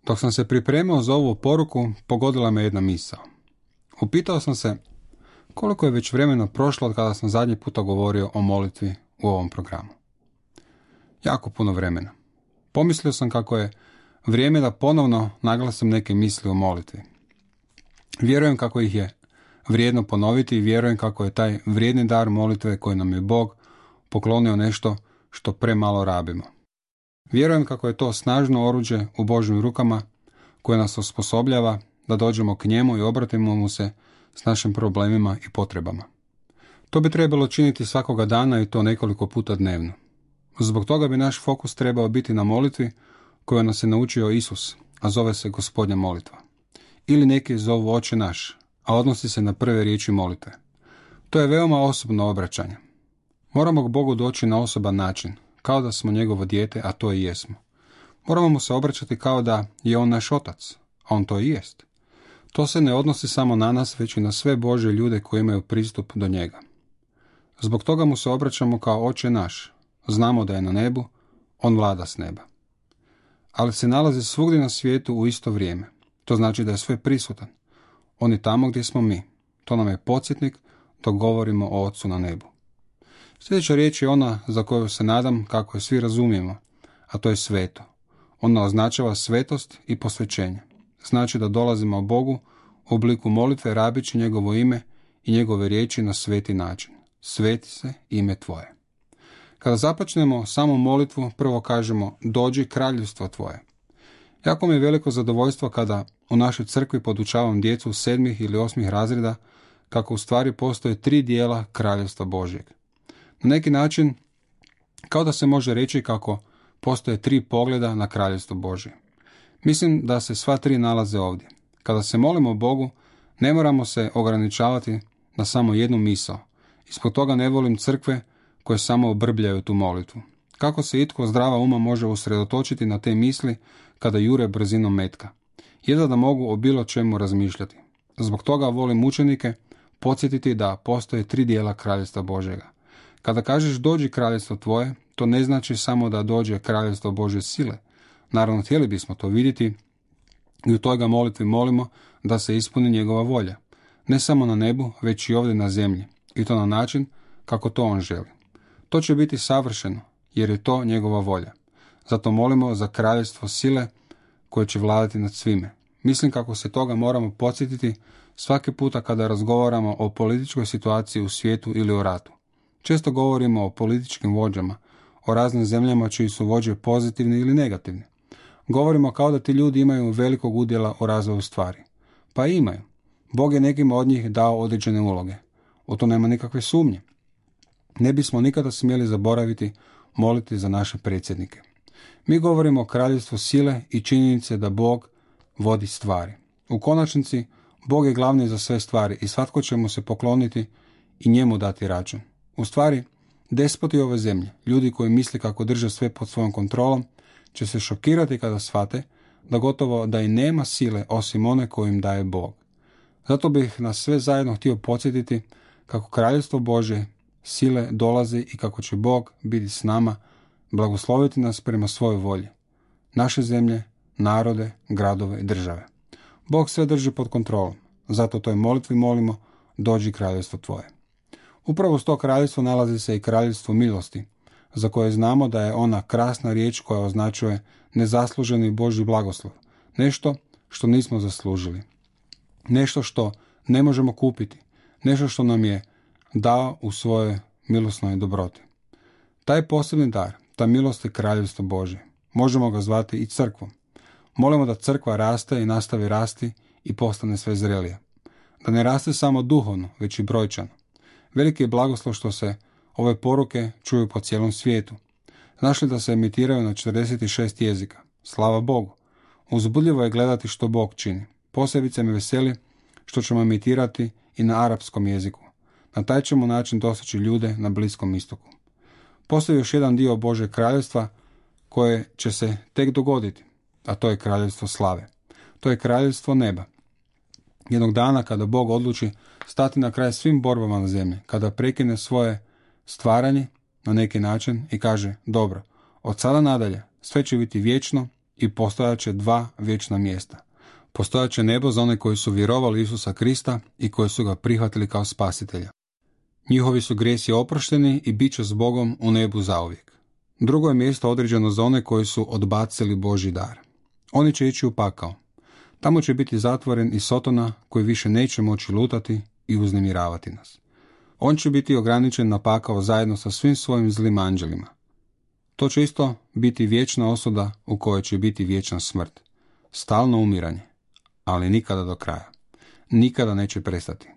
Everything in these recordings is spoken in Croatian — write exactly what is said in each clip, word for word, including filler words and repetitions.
Dok sam se pripremao za ovu poruku, pogodila me jedna misao. Upitao sam se koliko je već vremena prošlo od kada sam zadnji puta govorio o molitvi u ovom programu. Jako puno vremena. Pomislio sam kako je vrijeme da ponovno naglasim neke misli o molitvi. Vjerujem kako ih je vrijedno ponoviti i vjerujem kako je taj vrijedni dar molitve koji nam je Bog poklonio nešto što premalo rabimo. Vjerujem kako je to snažno oruđe u Božjim rukama koje nas osposobljava da dođemo k njemu i obratimo mu se s našim problemima i potrebama. To bi trebalo činiti svakoga dana i to nekoliko puta dnevno. Zbog toga bi naš fokus trebao biti na molitvi koju nas je naučio Isus, a zove se Gospodnja molitva. Ili neki zovu Oče naš, a odnosi se na prve riječi molitve. To je veoma osobno obraćanje. Moramo k Bogu doći na osoban način, kao da smo njegovo dijete, a to i jesmo. Moramo mu se obraćati kao da je on naš otac, a on to i jest. To se ne odnosi samo na nas, već i na sve Božje ljude koji imaju pristup do njega. Zbog toga mu se obraćamo kao Oče naš. Znamo da je na nebu, on vlada s neba. Ali se nalazi svugdje na svijetu u isto vrijeme. To znači da je sve prisutan. On je tamo gdje smo mi. To nam je podsjetnik dok govorimo o Otcu na nebu. Sljedeća riječ je ona za koju se nadam kako je svi razumijemo, a to je sveto. Ona označava svetost i posvećenje. Znači da dolazimo Bogu u obliku molitve rabići njegovo ime i njegove riječi na sveti način. Sveti se ime tvoje. Kada započnemo samo molitvu, prvo kažemo dođi kraljevstvo tvoje. Jako mi je veliko zadovoljstvo kada u našoj crkvi podučavam djecu sedmih ili osmih razreda kako u stvari postoje tri dijela kraljevstva Božjeg. Na neki način, kao da se može reći kako postoje tri pogleda na kraljevstvo Božje. Mislim da se sva tri nalaze ovdje. Kada se molimo Bogu, ne moramo se ograničavati na samo jednu misao. Ispod toga ne volim crkve koje samo obrbljaju tu molitvu. Kako se itko zdrava uma može usredotočiti na te misli kada jure brzinom metka? Jedva da mogu o bilo čemu razmišljati. Zbog toga volim učenike podsjetiti da postoje tri dijela kraljevstva Božjega. Kada kažeš dođi kraljevstvo tvoje, to ne znači samo da dođe kraljevstvo Božje sile. Naravno, htjeli bismo to vidjeti i u toj ga molitvi molimo da se ispuni njegova volja. Ne samo na nebu, već i ovdje na zemlji. I to na način kako to on želi. To će biti savršeno, jer je to njegova volja. Zato molimo za kraljevstvo sile koje će vladati nad svime. Mislim kako se toga moramo podsjetiti svaki puta kada razgovaramo o političkoj situaciji u svijetu ili o ratu. Često govorimo o političkim vođama, o raznim zemljama čiji su vođe pozitivni ili negativni. Govorimo kao da ti ljudi imaju velikog udjela u razvoju stvari. Pa imaju. Bog je nekima od njih dao određene uloge. U to nema nikakve sumnje. Ne bismo nikada smjeli zaboraviti moliti za naše predsjednike. Mi govorimo o kraljevstvu sile i činjenice da Bog vodi stvari. U konačnici, Bog je glavni za sve stvari i svatko će mu se pokloniti i njemu dati račun. U stvari, despoti ove zemlje, ljudi koji misle kako drže sve pod svojom kontrolom, će se šokirati kada shvate da gotovo da i nema sile osim one koju im daje Bog. Zato bih nas sve zajedno htio podsjetiti kako kraljevstvo Božje sile dolazi i kako će Bog biti s nama, blagosloviti nas prema svojoj volji. Naše zemlje, narode, gradove i države. Bog sve drži pod kontrolom, zato toj molitvi molimo dođi kraljevstvo tvoje. Upravo s to kraljevstvo nalazi se i kraljevstvo milosti, za koje znamo da je ona krasna riječ koja označuje nezasluženi Božji blagoslov, nešto što nismo zaslužili, nešto što ne možemo kupiti, nešto što nam je dao u svojoj milosnoj dobroti. Taj posebni dar, ta milost je kraljevstvo Božje. Možemo ga zvati i crkvom. Molimo da crkva raste i nastavi rasti i postane sve zrelija. Da ne raste samo duhovno, već i brojčano. Veliki je blagoslov što se ove poruke čuju po cijelom svijetu. Znaš li da se emitiraju na četrdeset šest jezika? Slava Bogu! Uzbudljivo je gledati što Bog čini. Posebice me veseli što ćemo emitirati i na arapskom jeziku. Na taj ćemo način doseći ljude na Bliskom istoku. Postoji još jedan dio Božeg kraljevstva koje će se tek dogoditi, a to je kraljevstvo slave. To je kraljevstvo neba. Jednog dana kada Bog odluči stati na kraj svim borbama na zemlji, kada prekine svoje stvaranje na neki način i kaže dobro, od sada nadalje sve će biti vječno i postojat će dva vječna mjesta. Postojat će nebo za one koji su vjerovali Isusa Krista i koji su ga prihvatili kao spasitelja. Njihovi su grijesi oprošteni i bit će s Bogom u nebu zauvijek. Drugo je mjesto određeno za one koji su odbacili Božji dar. Oni će ići u pakao. Tamo će biti zatvoren i Sotona koji više neće moći lutati i uznemiravati nas. On će biti ograničen na pakao zajedno sa svim svojim zlim anđelima. To će isto biti vječna osuda u kojoj će biti vječna smrt. Stalno umiranje, ali nikada do kraja. Nikada neće prestati.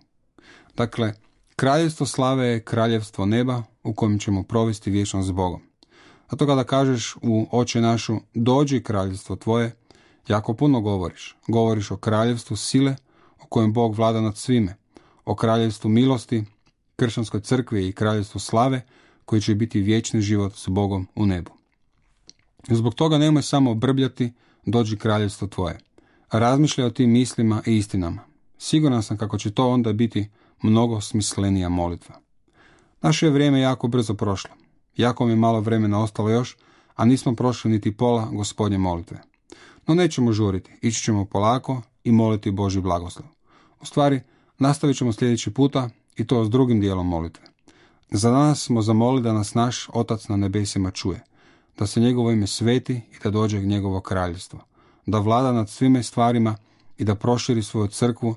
Dakle, kraljevstvo slave je kraljevstvo neba u kojem ćemo provesti vječnost s Bogom. Zato kada kažeš u Oče našu, dođi kraljevstvo tvoje, jako puno govoriš. Govoriš o kraljevstvu sile u kojem Bog vlada nad svime, o kraljevstvu milosti, kršćanskoj crkvi i kraljevstvu slave koji će biti vječni život s Bogom u nebu. Zbog toga nemoj samo brbljati, dođi kraljevstvo tvoje. Razmišljaj o tim mislima i istinama. Siguran sam kako će to onda biti mnogo smislenija molitva. Naše je vrijeme jako brzo prošlo. Jako mi je malo vremena ostalo još, a nismo prošli niti pola Gospodnje molitve. No nećemo žuriti, ići ćemo polako i moliti Božji blagoslov. U stvari, nastavit ćemo sljedeći puta i to s drugim dijelom molitve. Za danas smo zamolili da nas naš Otac na nebesima čuje, da se njegovo ime sveti i da dođe njegovo kraljevstvo, da vlada nad svime stvarima i da proširi svoju crkvu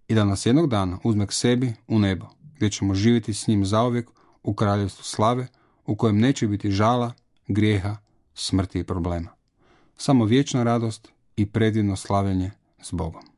i da nas jednog dana uzme k sebi u nebo, gdje ćemo živjeti s njim zauvijek u kraljevstvu slave, u kojem neće biti žala, grijeha, smrti i problema. Samo vječna radost i predivno slavljenje s Bogom.